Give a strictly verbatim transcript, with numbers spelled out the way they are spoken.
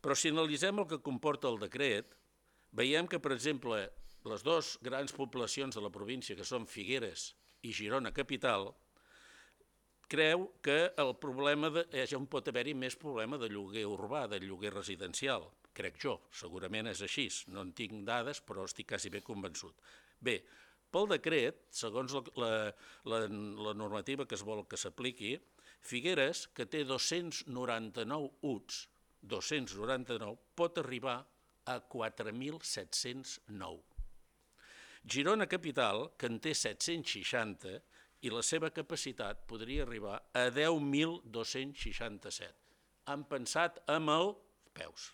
Però si analitzem el que comporta el decret, veiem que, per exemple, les dues grans poblacions de la província, que són Figueres i Girona capital, creu que el problema de, ja on pot haver-hi més problema de lloguer urbà, de lloguer residencial, crec jo, segurament és així, no en tinc dades però estic quasi ben convençut. Bé, pel decret, segons la, la, la normativa que es vol que s'apliqui, Figueres, que té dos-cents noranta-nou U T S, dos-cents noranta-nou, pot arribar a quatre mil set-cents nou. Girona capital, que en té set-cents seixanta, i la seva capacitat podria arribar a deu mil dos-cents seixanta-set. Han pensat amb els peus.